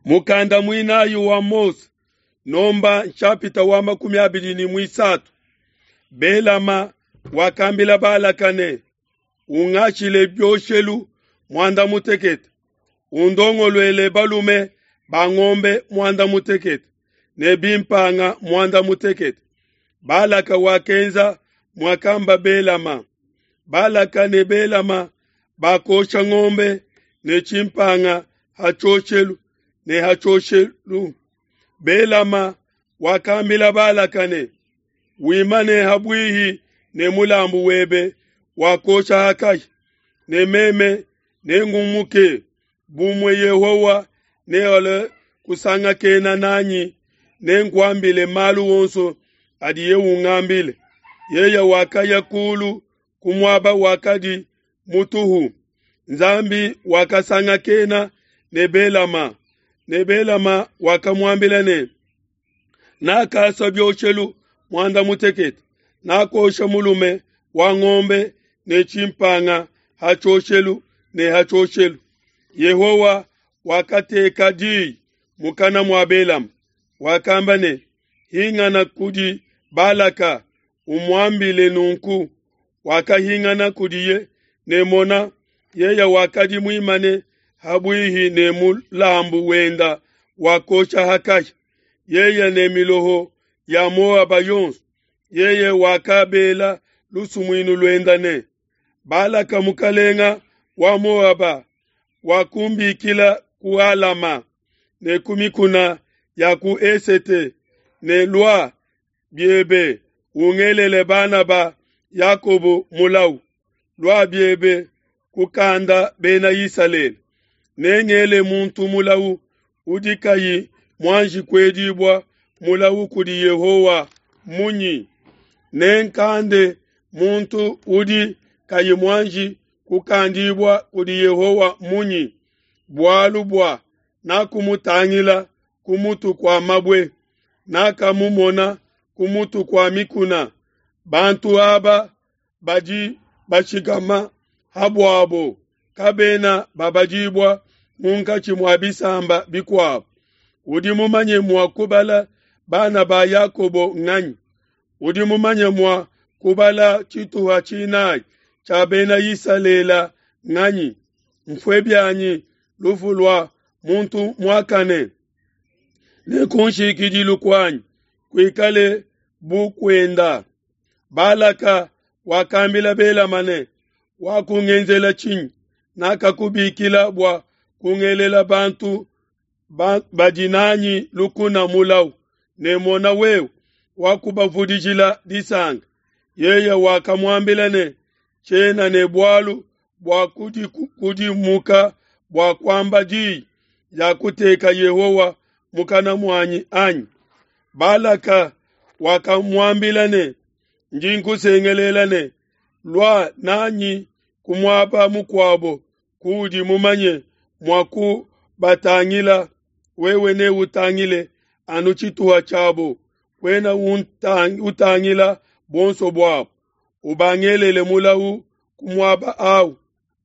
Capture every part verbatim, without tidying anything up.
Mukanda muinayi wa Mose, nomba nshapita wa makumi abidi ne muisatu. Belama wakambila Balaka ne, ungashile bioshelu muanda mutekete, undongoluele balume ba ngombe muanda mutekete ne bimpanga muanda mutekete. Balaka wakenza muakamba Belama. Balaka ne Belama bakosha ngombe ne tshimpanga ha tshioshelu ne ha tshioshelu. Belama wakambila Balaka ne, wimane habuihi ne mulambu webe wakosha hakahi, ne meme nengumuke bumue Yehowa nealue kusangakena nanyi, nenkuambile malu onso adiye ungambile. Yeye wakaya kulu ku muaba wakadi mutuhu. Nzambi wakasangakena ne Belama, ne Belama wakamuambila ne, nakasa bioshelu muanda mutekete, nakosha mulume wa ngombe ne tshimpanga ha tshioshelu ne ha tshioshelu. Yehowa wakateka diyi mukana mua Belama, wakamba ne, hingana kudi Balaka umuambile nunku. Wakahingana kudiye ne mona, yeye wakadi muimane habuihi ne mulambu wenda wakosha hakahi, yeye ne miloho ya Moaba yonso. Yeye wakabela lusumuinu luenda ne, Balaka mukalenga wa Moaba wakumbikila ku Alama ne ku mikuna ya ku Esete ne, lua biebe ungelele bana ba Yakobo mulau, lua biebe kukanda bena Isalele. Nengele muntu mulau udi kayi muanji kuedibua mulau kudi Yehowa munyi? Nenkande muntu udi kayi muanji kukandibua kudi Yehowa munyi? Bualu bua nakumutangila ku mutu kua mabue, nakamumona ku mutu kua mikuna. Bantu aba badi bashikama habuabo kabena babadibua munkatshi mua bisamba bikuabo. Udi mumanye mua kubala bana ba Yakobo nganyi? Udi mumanye mua kubala tshituha tshinayi tshia bena Isalele nganyi? Mfue bianyi lufu lua muntu muakane, ne kunshikidilu kuanyi kuikale bu kuenda. Balaka wakambila Belama ne, wakungenzela tshinyi? Nakakubikila bua kungelela bantu ba, badi nanyi lukuna mulau, ne mona wewe wakubavudijila disanka. Yeye wakamuambila ne, tshiena ne bualu bua kudimuka bua kuamba diyi ya kuteka Yehowa mukana muanyi anyi? Balaka wakamuambila ne, ndi nkusengelela ne, lua nanyi ku muaba mukuabo kuudi mumanye mua kubatangila, wewe neutangile anu tshituha tshiabo, kuena utangila buonso buabo. Ubangelele mulau ku muaba awu.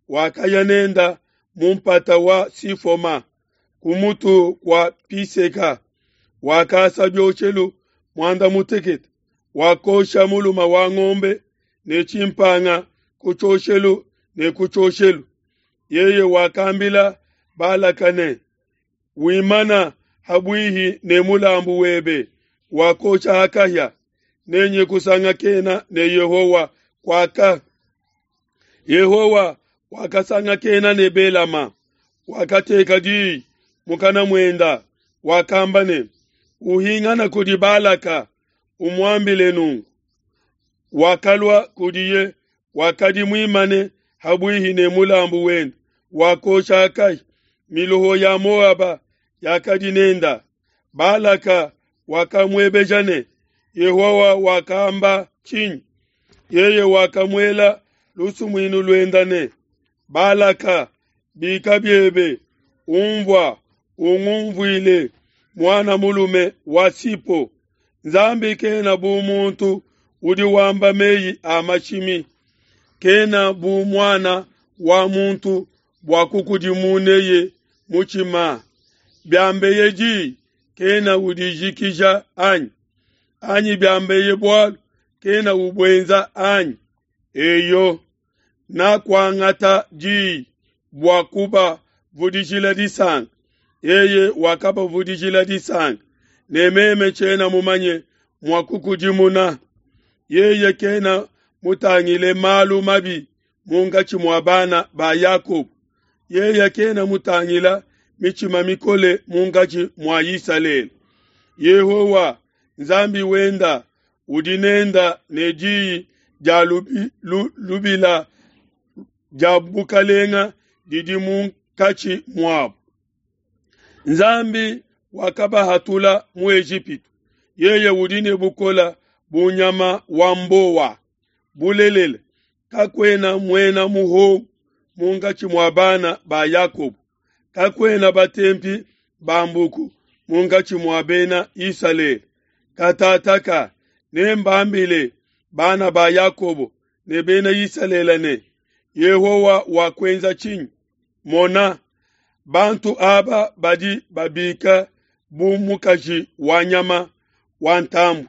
Wakaya nenda mu mpata wa Sifoma ku mutu kua Piseka. Wakasa bioshelu muanda mutekete, wakosha mulume wa ngombe ne tshimpanga ku tshioshelu ne ku tshioshelu. Yeye wakambila Balaka ne, wimana habuihi ne mulambu webe wakosha hakahia, nenye kusangakena ne Yehowa kwaka. Yehowa wakasangakena ne Belama, wakateka diyi mukana muenda, wakamba ne, uhingana kudi Balaka umuambile nunku. Wakalua kudiye, wakadi muimane habuihi ne mulambu wenda wakosha hakahi, miloho ya Moaba yakadi nenda. Balaka wakamuebeja ne, Yehowa wakamba tshinyi? Yeye wakamuela lusumuinu luenda ne, Balaka, bika biebe, umvua, ungumvuile, muana mulume wa Sipo. Nzambi kena bu muntu udi wamba meyi a mashimi, kena bu muana wa muntu bua kukudimuneye mutshima. Biambeye diyi, kena udijikija anyi? Anyi biambeye bualu, kena ubuenza anyi? Eyo, nakuangata diyi bua kubavudijila disanka. Yeye wakabavudijila disanka, ne meme tshiena mumanye mua kukudimuna. Yeye kena mutangile malu mabi munkatshi mua bana ba Yakobo. Yeye kena mutangila mitshima mikole munkatshi mua Isalele. Yehowa Nzambi wenda udi nenda ne diyi dia lubi, lu, lubila dia bukalenga didi munkatshi muabu. Nzambi wakabahatula mu Ejipitu. Yeye udi ne bukola bu nyama wa mbowa. Bulelela, kakuena muena muhongo munkatshi mua bana ba Yakobo. Kakuena batempi ba mbuku munkatshi mua bena Isalele. Katataka nembambile bana ba Yakobo ne bena Isalele ne, Yehowa wakuenza tshinyi? Mona, bantu aba badi babika bu mukaji wa nyama wa ntambue.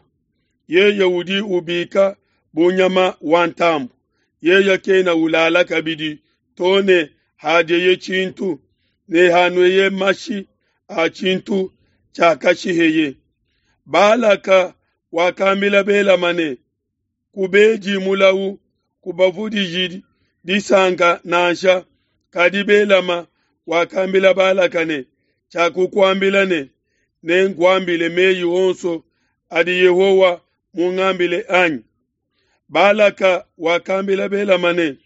Yeye udi ubika bu nyama wa ntambue. Yeye kena ulala kabidi to ne hadieye tshintu, ne hanueye mashi a tshintu tshiakashiheye. Balaka wakambila Belama ne, kubedi mulawu, kubavudiji disanka nansha. Kadi Belama wakambila Balaka ne, tshiakukuambila ne, nenkuambile meyi onso adi Yehowa mungambile anyi? Balaka wakambila Belama ne,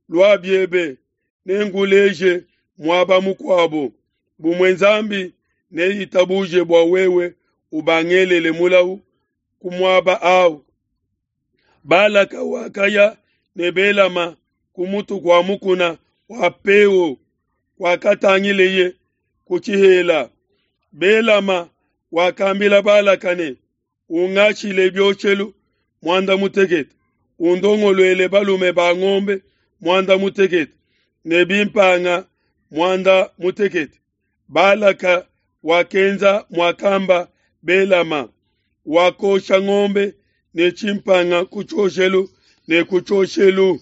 lua biebe, nenkuleje muaba mukuabo. Bumue Nzambi neitabuje bua wewe ubangelele mulawu ku muaba awu. Balaka wakaya ne Belama ku mutu kua mukuna wa Peo, kwakatangileye ku tshihela. Belama wakambila Balaka ne, ungashile bioshelu muanda mutekete, undongoluele balume ba ngombe muanda mutekete ne bimpanga muanda mutekete. Balaka wakenza muakamba Belama, wakosha ngombe ne tshimpanga ku tshioshelu ne ku tshioshelu.